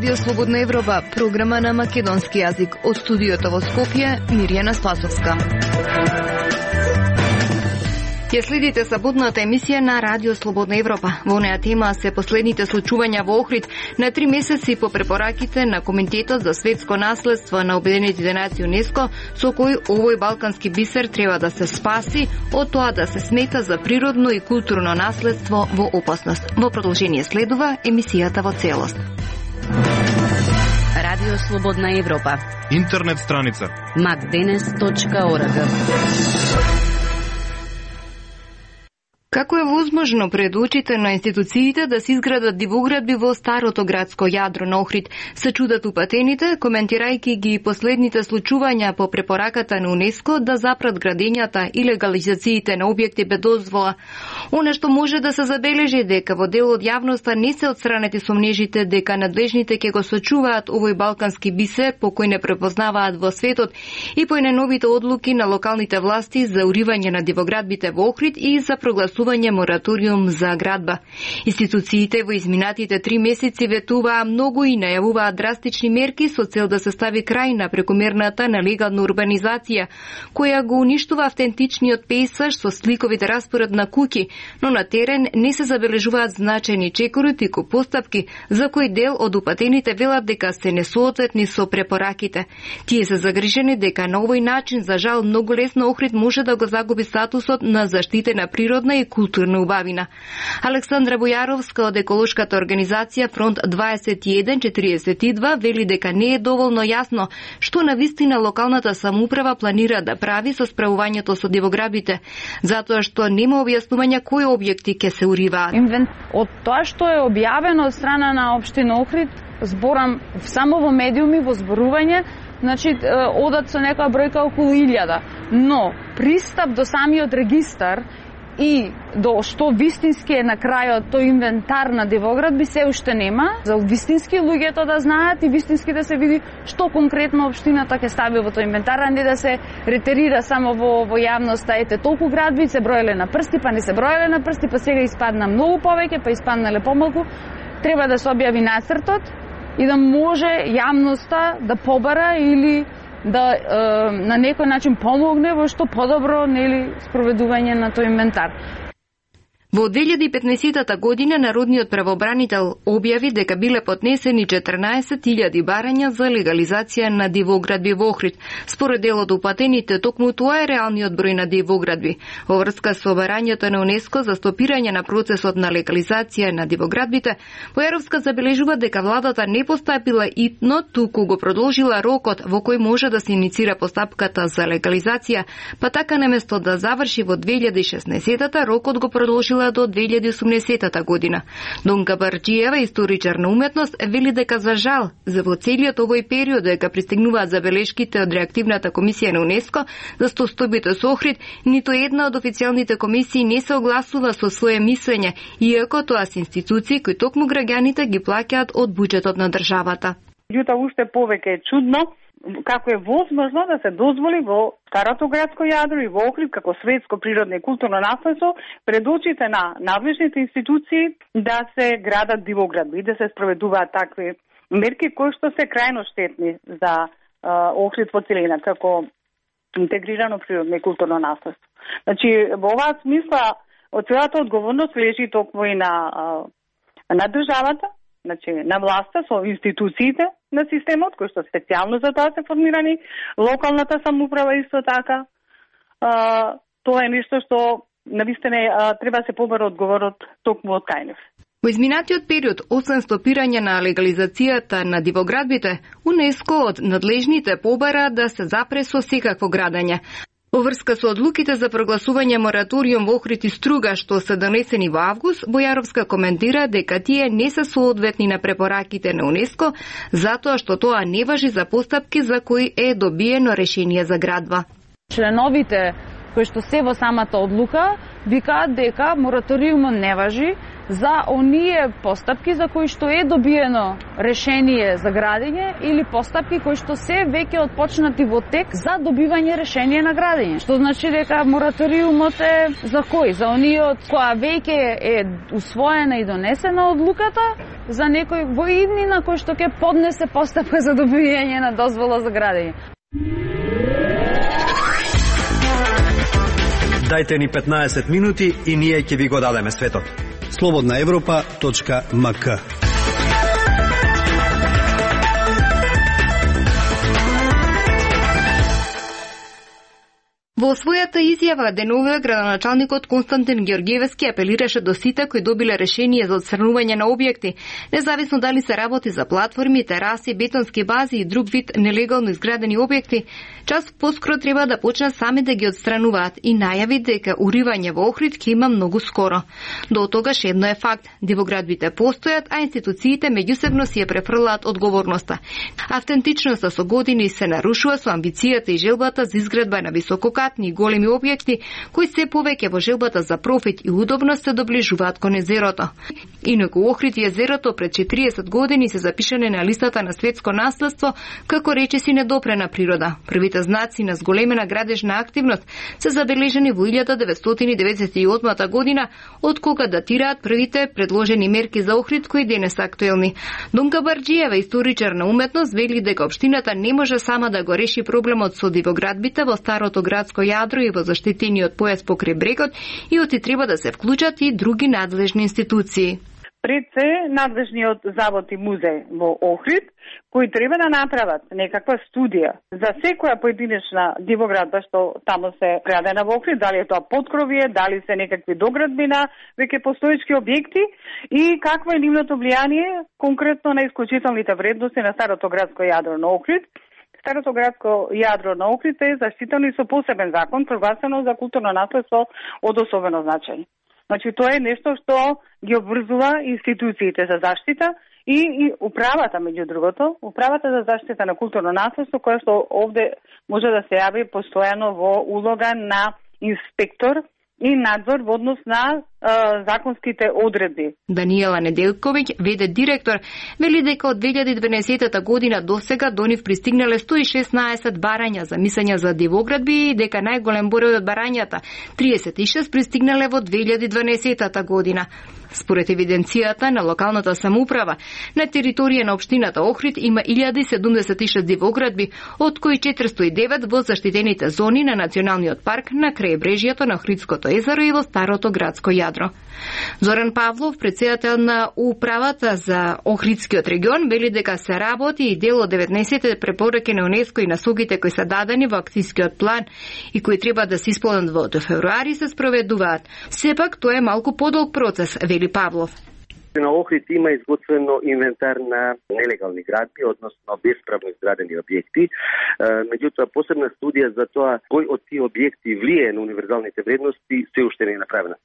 Радио Слободна Европа, програма на македонски јазик. Од студиото во Скопје, Мирјана Спасовска. Ќе следите саботната емисија на Радио Слободна Европа. Во неа тема се последните случувања во Охрид на 3 месеци по препораките на Комитетот за светско наследство на Обединетите нации ЮНЕСКО, со кој овој балкански бисер треба да се спаси од тоа да се смета за природно и културно наследство во опасност. Во продолжение следува емисијата во целост. Радио Слободна Европа. Интернет страница macdenes.org. Како е возможно пред очите на институциите да се изградат дивоградби во старото градско јадро на Охрид? Се чудат упатените, коментирајќи ги последните случувања по препораката на ЮНЕСКО да запрат градењата и легализациите на објекти без дозвола. Она што може да се забележи дека во дел од јавноста не се отстранети сомнежите дека надлежните ќе го сочуваат овој балкански бисер по кој не препознаваат во светот и по најновите одлуки на локалните власти за уривање на дивоградбите во Охрид и за прогласување мораториум за градба. Институциите во изминатите 3 месеци ветуваа многу и најавуваа драстични мерки со цел да се стави крај на прекомерната нелегална урбанизација, која го уништува автентичниот пейсаж со сликовите распоред на куќи, но на терен не се забележуваат значајни чекори туку постапки за кој дел од упатените велат дека се несоодветни со препораките. Тие се загрижени дека на овој начин за жал многу лесно Охрид може да го загуби статусот на заштитена природна и културна убавина. Александра Бојаровска од еколошката организација Фронт 2142 вели дека не е доволно јасно што навистина локалната самоуправа планира да прави со справувањето со дивоградбите, затоа што нема објаснување кои објекти ќе се уриваат. Од тоа што е објавено од страна на општина Охрид, зборам само во медиуми, во зборување, значи одат со некоја бројка околу 1000, но пристап до самиот регистар и до што вистински е на крајот тој инвентар на дивоградби се уште нема. За вистински луѓето да знаат и вистински да се види што конкретно општината ќе стави во тој инвентар, а не да се ретерира само во јавноста. Ете, толку градби се броеле на прсти, па не се броеле на прсти, па сега испадна многу повеќе, па испаднале помалку. Треба да се објави нацртот и да може јавноста да побара или да на некој начин помогне во што подобро спроведување на тој инвентар. Во 2015 година Народниот правобранител објави дека биле поднесени 14.000 барања за легализација на дивоградби во Охрид. Според дел од упатените, токму тоа е реалниот број на дивоградби. Во врска со барањето на ЮНЕСКО за стопирање на процесот на легализација на дивоградбите, Бојаровска забележува дека владата не постапила итно, туку го продолжила рокот во кој може да се иницира постапката за легализација, па така наместо да заврши во 2016-та, рокот го продолжила до 2018 година. Донка Барџиева, историчар на уметност, вели дека за жал, за во целиот овој период дека пристигнуваат забелешките од реактивната комисија на ЮНЕСКО за стостојбите со Охрид, ниту една од официјалните комисии не се огласува со свое мислење, иако тоа се институции кои токму граѓаните ги плаќаат од буџетот на државата. Јута уште повеќе е чудно како е возможно да се дозволи во старото градско јадро и во Охрид како светско природно и културно наследство пред очите на надлежните институции да се градат дивоградби и да се спроведуваат такви мерки кои што се крајно штетни за Охрид во целина како интегрирано природно и културно наследство. Значи во оваа смисла од целата одговорност лежи токму и на државата, значи на власта со институциите на системот кои што специјално за тоа се формирани, локалната самоуправа исто така. Тоа е нешто што навистина треба да се побара одговорот токму од кај нив. Во изминатиот период, освен стопирање на легализацијата на дивоградбите, ЮНЕСКО од надлежните побара да се запре со секакво градење. Во врска со одлуките за прогласување мораториум во Охрид и Струга што се донесени во август, Бојаровска коментира дека тие не се соодветни на препораките на ЮНЕСКО, затоа што тоа не важи за постапки за кои е добиено решение за градба. Членовите кои што се во самата одлука викаат дека мораториумот не важи, за оние постапки за кои што е добиено решение за градење или постапки кои што се веќе отпочнати во тек за добивање решение на градење. Што значи дека мораториумот е за кој? За оние од која веќе е усвоена и донесена одлуката, за некој во иднина кој што ќе поднесе постапка за добивање на дозвола за градење. Дајте ни 15 минути и ние ќе ви го дадеме светот. slobodnaevropa.mk. Во својата изјава денове градоначалникот Константин Ѓорѓевски апелираше до сите кои добиле решение за отстранување на објекти, независно дали се работи за платформи, тераси, бетонски бази и друг вид нелегално изградени објекти, час поскоро треба да почнат сами да ги отстрануваат и најави дека уривање во Охрид ќе има многу скоро. До тогаш едно е факт, дивоградбите постојат, а институциите меѓусебно си ја префрлаат одговорноста. Автентичноста со години се нарушува со амбицијата и желбата за изградба на висококатни и големи објекти кои се повеќе во желбата за профит и удобност се доближуваат кон езерото. Инаку Охрид и езерото пред 40 години се запишане на листата на светско наследство како речиси недопрена природа. Првите знаци на зголемена градежна активност се забележани во 1998 година, од кога датираат првите предложени мерки за Охрид кои денес се актуелни. Донка Барџиева, историчар на уметност, вели дека општината не може сама да го реши проблемот со дивоградбите во старото градско јадро и во заштитениот појас покрај брегот и оти треба да се вклучат и други надлежни институции. Пред се надлежниот завод и музеј во Охрид, кои треба да направат некаква студија за секоја поединечна дивоградба што таму се градена во Охрид, дали е тоа поткровие, дали се некакви доградби на веќе постоечки објекти и какво е нивното влијание конкретно на исклучителните вредности на старото градско јадро на Охрид. Старото градско јадро на Охрид е заштитено и со посебен закон, прогласено за културно наследство од особено значење. Значи, тоа е нешто што ги обврзува институциите за заштита и управата, меѓу другото, управата за заштита на културно наследство, која што овде може да се јави постојано во улога на инспектор и надзор во однос на законските одредби. Даниела Неделковиќ, ВД директор, вели дека од 2012 година до сега до нив пристигнале 116 барања за мислење за дивоградби и дека најголем број од барањата, 36, пристигнале во 2012 година. Според евиденцијата на локалната самоуправа, на територија на општината Охрид има 1076 дивоградби, од кои 409 во заштитените зони на Националниот парк на крајбрежјето на Охридското езеро и во старото градско јадро. Зоран Павлов, претседател на управата за Охридскиот регион, вели дека се работи и дел од 19 препораки на УНЕСКО и насоките кои се дадени во акцијскиот план и кои треба да се исполнат во февруари се спроведуваат. Сепак тоа е малку подолг процес, вели Павлов. На Охрид има изготвено инвентар на нелегални градби, односно бесправно изградени објекти. Меѓутоа, посебна студија за тоа кој од тие објекти влие на универзалните вредности се уште не е направена.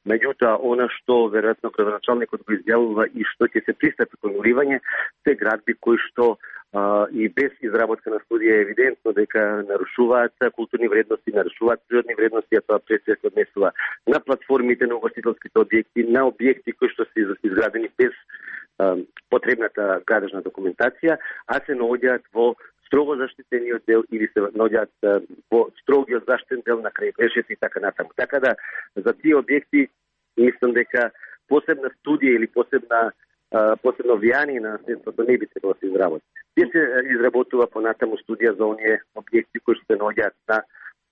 Меѓутоа, она што веројатно градоначалникот го изјавува и што ќе се пристапи кон уривање, се градби кои што и без изработка на студија е евидентно дека нарушуваат културни вредности, нарушуваат природни вредности, а тоа пред се однесува на платформите на угостителските објекти, на објекти кои што се изградени без потребната градежна документација, а се наоѓаат во строго заштитениот дел или се наоѓаат во строгиот заштитен дел на крајбрежјето и така натаму. Така да за тие објекти мислам дека посебна студија или посебно влијание на наследството не би требало да се изработи. Тие се изработува понатаму студија за оние објекти кои се наоѓаат на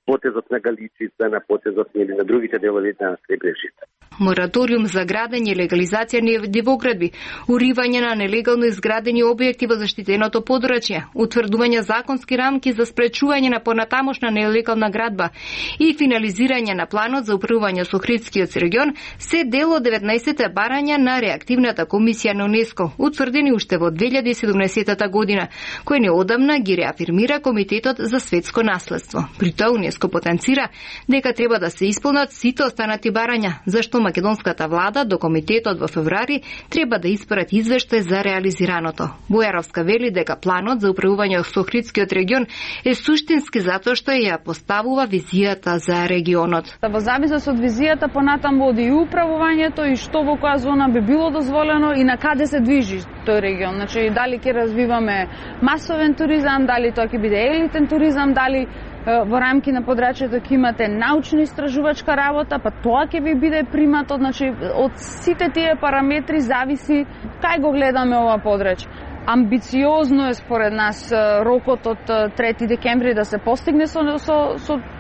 потезот на Галичица, на потезот или на другите делови на крајбрежјето. Мораториум за градење и легализација на дивоградби, уривање на нелегално изградени објекти во заштитеното подрачје, утврдување законски рамки за спречување на понатамошна нелегална градба и финализирање на планот за управување со Охридскиот регион се дел од 19 барања на реактивната комисија на УНЕСКО, утврдени уште во 2017 година, кој неодамна ги реафирмира Комитетот за светско наследство. При тоа УНЕСКО Унеско потенцира дека треба да се исполнат сите останати барања, зашто македонската влада до комитетот во февруари треба да испрати извештај за реализираното. Бојаровска вели дека планот за управување со Охридскиот регион е суштински затоа што ја поставува визијата за регионот. Во зависност од визијата понатаму оди и управувањето и што во која зона би било дозволено и на каде се движи тој регион. Значи дали ќе развиваме масовен туризам, дали тоа ќе биде елитен туризам, дали во рамки на подрачјето ќе имате научно-истражувачка работа, па тоа ќе ви биде приматот. Значи од сите тие параметри зависи кај го гледаме ова подрачје. Амбициозно е според нас рокот од 3 декември да се постигне со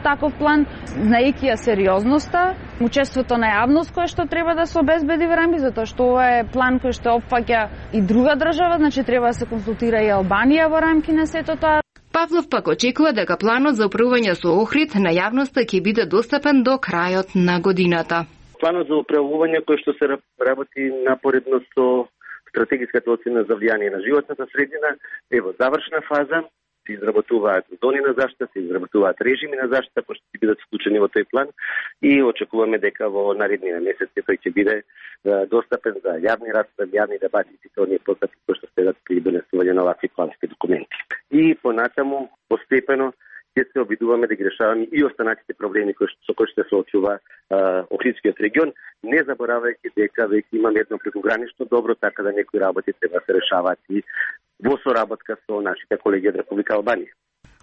таков план, знаејќи ја сериозноста, учеството на јавност кое што треба да се обезбеди во рамки, затоа што ова е план кој што опфаќа и друга држава, значи треба да се консултира и Албанија во рамки на сето тоа. Павлов пак очекува дека планот за управување со Охрид на јавноста ќе биде достапен до крајот на годината. Планот за управување кој што се работи напоредно со стратегиската оцена за влијание на животната средина е во завршна фаза. Се изработуваат зони на заштита, се изработуваат режими на заштита кои ќе бидат вклучени во тој план и очекуваме дека во наредните месеци тој ќе биде достапен за јавни расправи, јавни дебати и сите оние постапки кои што следат при донесување на овакви плански документи. И понатаму постепено ќе се обидуваме да ги решаваме и останатите проблеми со кои што се соочува Охридскиот регион, не заборавајќи дека веќе имаме едно прекогранично добро, така да некои работи треба да се решаваат и во соработка со нашите колеги од Република Албанија.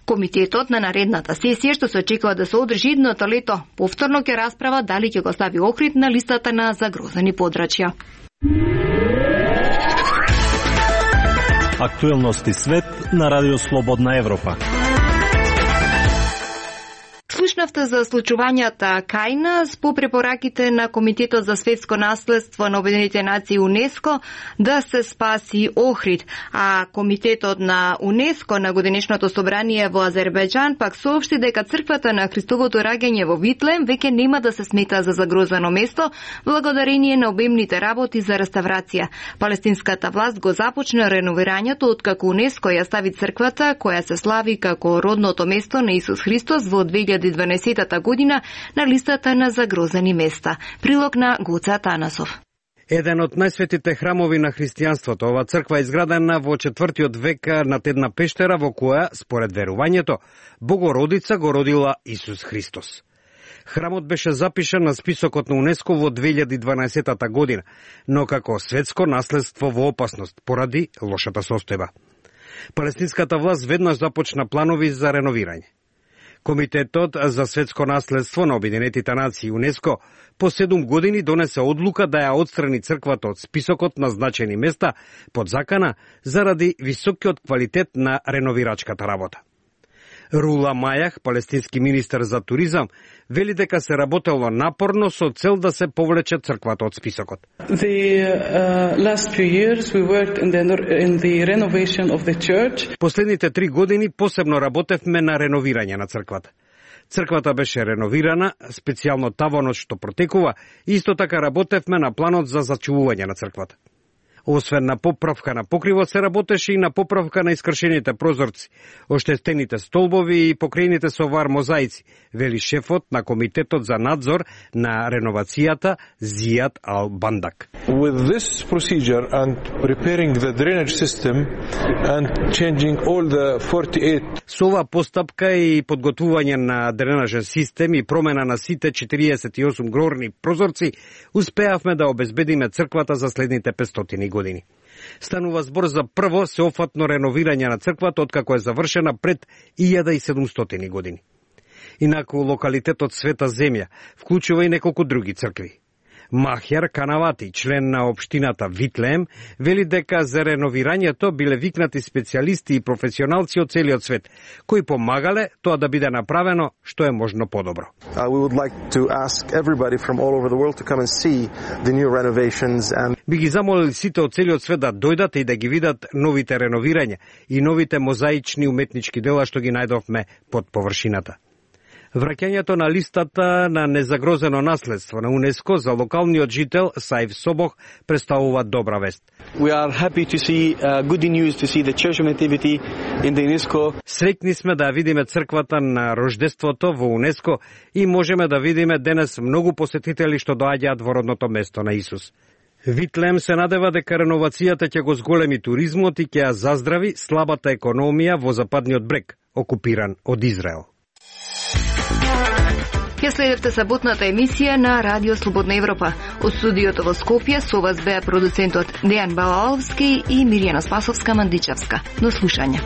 Комитетот на наредната сесија што се очекува да се одржи идното лето, повторно ќе расправа дали ќе го стави Охрид на листата на загрозени подрачја. Актуелности свет на Радио Слободна Европа. Слушнавте за случувањата кај нас по препораките на Комитетот за светско наследство на Обединетите нации УНЕСКО да се спаси Охрид, а Комитетот на УНЕСКО на годинешното собрание во Азербејџан пак соопшти дека црквата на Христовото раѓање во Витлеем веќе нема да се смета за загрозено место благодарение на обемните работи за реставрација. Палестинската власт го започна реновирањето откако УНЕСКО ја стави црквата која се слави како родното место на Исус Христос во 2012 година на листата на загрозени места. Прилог на Гоце Атанасов. Еден од најсветите храмови на христијанството, ова црква е изградена во 4 век над една пештера во која, според верувањето, Богородица го родила Исус Христос. Храмот беше запишан на списокот на УНЕСКО во 2012 година, но како светско наследство во опасност поради лошата состојба. Палестинската власт веднаш започна планови за реновирање. Комитетот за светско наследство на Обединетите нации УНЕСКО по 7 години донесе одлука да ја отстрани црквата од списокот на значени места под закана заради високиот квалитет на реновирачката работа. Рула Мајах, палестински министер за туризам, вели дека се работело напорно со цел да се повлече црквата од списокот. Последните 3 години посебно работевме на реновирање на црквата. Црквата беше реновирана, специјално таванот што протекува, и исто така работевме на планот за зачувување на црквата. Освен на поправка на покривот, се работеше и на поправка на искршените прозорци, оштетените столбови и покрејните со вар мозаици, вели шефот на Комитетот за надзор на реновацијата Зијад Ал-Бандак. With this procedure and preparing the drainage system and changing all the 48 Со оваа постапка и подготвување на дренажен систем и промена на сите 48 горни прозорци, успеавме да обезбедиме црквата за следните 500 години. Станува збор за прво сеофатно реновирање на црквата откако е завршена пред 1700 години. Инаку локалитетот Света Земја вклучува и неколку други цркви. Махјар Канавати, член на општината Витлеем, вели дека за реновирањето биле викнати специјалисти и професионалци од целиот свет, кои помагале тоа да биде направено што е можно подобро. Би ги замолили сите од целиот свет да дојдат и да ги видат новите реновирања и новите мозаични уметнички дела што ги најдовме под површината. Враќањето на листата на незагрозено наследство на УНЕСКО за локалниот жител Саиф Собох представува добра вест. We are happy to see good news to see the Church of Nativity in the UNESCO. Среќни сме да видиме црквата на рождеството во УНЕСКО и можеме да видиме денес многу посетители што доаѓаат во родното место на Исус. Витлем се надева дека реновацијата ќе го зголеми туризмот и ќе ја заздрави слабата економија во западниот брег, окупиран од Израел. Ја следевте саботната емисија на Радио Слободна Европа. Од студиото во Скопје со вас беа продуцентот Дејан Балаловски и Мирјана Спасовска-Мандичевска. До слушање.